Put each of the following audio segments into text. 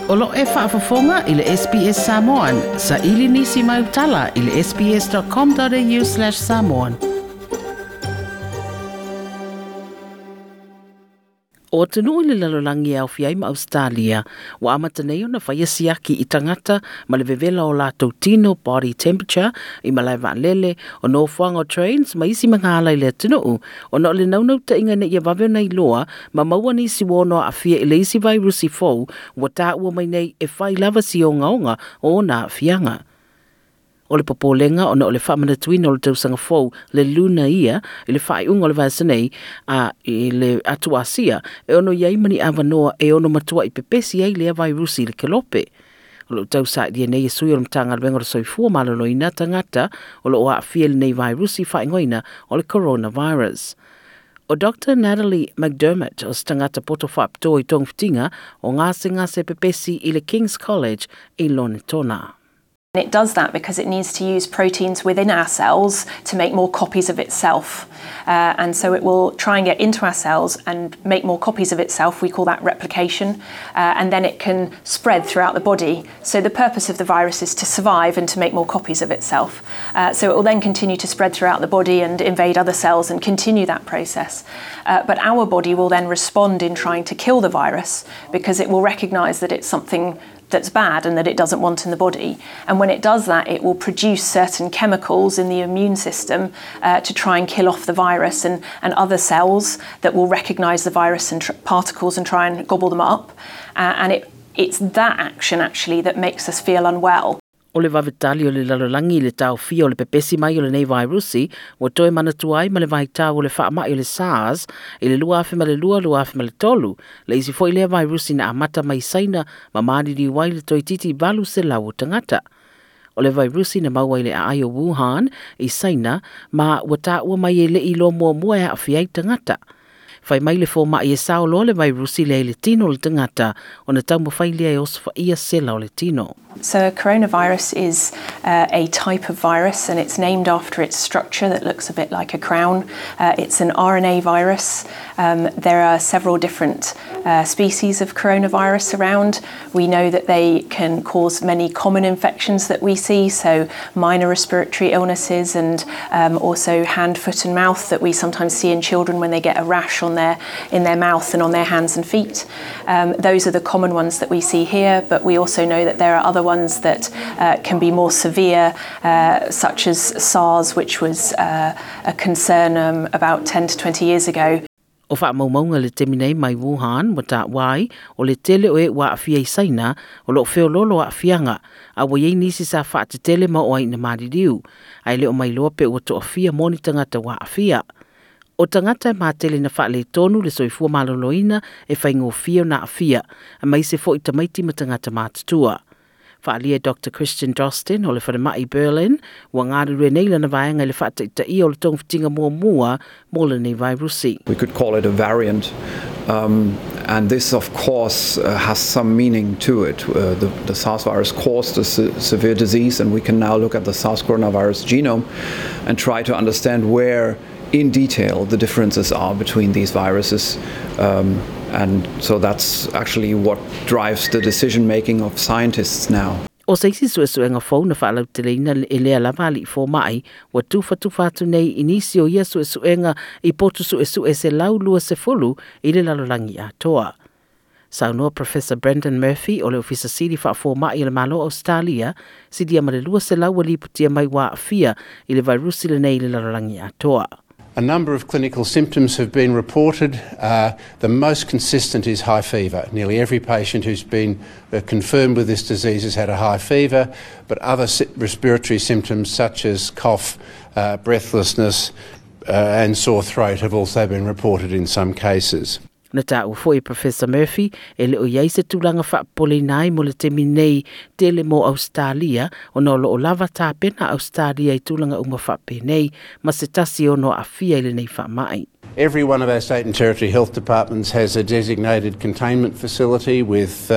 O lo e faafofoga i le SBS Samoan. Saili nisi mai utala i le sbs.com.au/samoan. O atunuu i le lalolagi e aofia ai ma Australia, ua amata nei ona faia siaki i tagata ma le vevela o latou tino body temperature i malae vaalele, o nofoaga o trains ma isi magaala i le atunuu, ona o le naunautaiga ina ia vave ona iloa ma maua nisi ua ono aafia i le isi vairusi fou ua taua mai nei e fai lava si ogaoga o ona aafiaga. O le popolega ona o le faamanatuina o le tausaga fou le luna ia i le faaiuga o le vaiaso nei a i le atu Asia e ono i ai ma ni avanoa e ono matuai pepesi ai lea vairusi i le kelope. O loo tausailia nei e sui o le Matagaluega o le Soifua Maloloina tagata o loo aafia i lenei vairusi faaigoaina o le coronavirus. O Dr. Natalie McDermott o se tagata poto faapitoa i togafitiga o gasegase pepesi i le King's College i Lonetona. It does that because it needs to use proteins within our cells to make more copies of itself. And so it will try and get into our cells and make more copies of itself. We call that replication. And then it can spread throughout the body. So the purpose of the virus is to survive and to make more copies of itself. So it will then continue to spread throughout the body and invade other cells and continue that process. But our body will then respond in trying to kill the virus because it will recognize that it's something that's bad and that it doesn't want in the body. And when it does that, it will produce certain chemicals in the immune system to try and kill off the virus and other cells that will recognize the virus and particles and try and gobble them up. And it's that action actually that makes us feel unwell. O le vavetali o le lalolagi i le taofia o le pepesi mai o lenei vairusi ua toe manatua ai ma le vaitau o le faamai o le SARS i le 2002 2003 le isi foi lea vairusi na amata mai Saina ma maliliu ai le toeitiiti 800 o tagata. O le vairusi na maua i le aai o Wuhan i Saina ma ua taua mai e le iloa muamua e aafia ai tagata. Fai mai le fomai e sao loa le vairusi lea i le tino o le tagata ona taumafai lea e osofaia sela o le tino. So coronavirus is a type of virus and it's named after its structure that looks a bit like a crown. It's an RNA virus. There are several different species of coronavirus around. We know that they can cause many common infections that we see, so minor respiratory illnesses and also hand, foot and mouth that we sometimes see in children when they get a rash on in their mouth and on their hands and feet. Those are the common ones that we see here, but we also know that there are other ones that can be more severe, such as SARS, which was a concern about 10 to 20 years ago. O faamaumauga le taimi nei mai Wuhan ua taua ai o le tele o e ua aafia i Saina o loo feoloolo aafiaga a ua iai nisi sa faatetele ma oo ai ina maliliu ae le o mailoa pe ua toafia mo ni tagata ua aafia. O tagata e matele na faaletonu le soifua maloloina e faigofie ona aafia aemaise foi tamaiti ma tagata matutua. Faaalia Dr. Christian Drosten o le falemai Berlin ua galulue nei lana vaega i le faataitaia o le togafitiga muamua mo lenei vairusi. We could call it a variant, and this of course has some meaning to it. The SARS virus caused a severe disease, and we can now look at the SARS coronavirus genome and try to understand where in detail the differences are between these viruses. And so that's actually what drives the decision-making of scientists now. O se isi suesuega fou na faalauteleina e lea lava alii fomai ua tufatufa atu nei i nisi o ia suesuega i potu suesue 120 i le lalolagi atoa. Saunoa Professor Brendan Murphy o le Ofisa Sili Faafomai o le Malo Australia silia ma le 200 ua lipotia mai ua aafia i le vairusi lenei i le lalolagi atoa. A number of clinical symptoms have been reported. The most consistent is high fever. Nearly every patient who's been confirmed with this disease has had a high fever, but other respiratory symptoms such as cough, breathlessness, and sore throat have also been reported in some cases. Na taua foi Professor Murphy e le o iai se tulaga faapopoleina ai mo le taimi nei tele mo Australia ona o loo lava tapena Australia i tulaga uma faapenei ma se tasi ono aafia i lenei faamai. Every one of our state and territory health departments has a designated containment facility with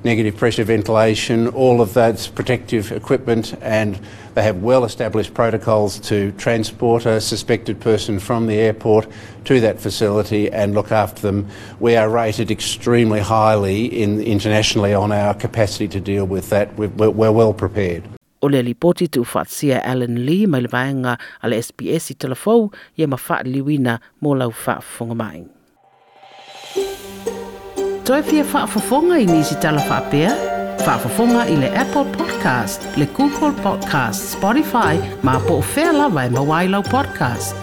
negative pressure ventilation, all of that's protective equipment, and they have well established protocols to transport a suspected person from the airport to that facility and look after them. We are rated extremely highly internationally on our capacity to deal with that. We're well prepared. O le lipoti tuufaatasia e Alan Lee mai le vaega a le SBS i Talafou ia ma faaliliuina mo lau faafofoga mai. Toe fia faafofoga i nisi tala faapea? Faafofoga i le Apple Podcast, le Google Podcast, Spotify, ma po o fea lava e maua ai lau podcast.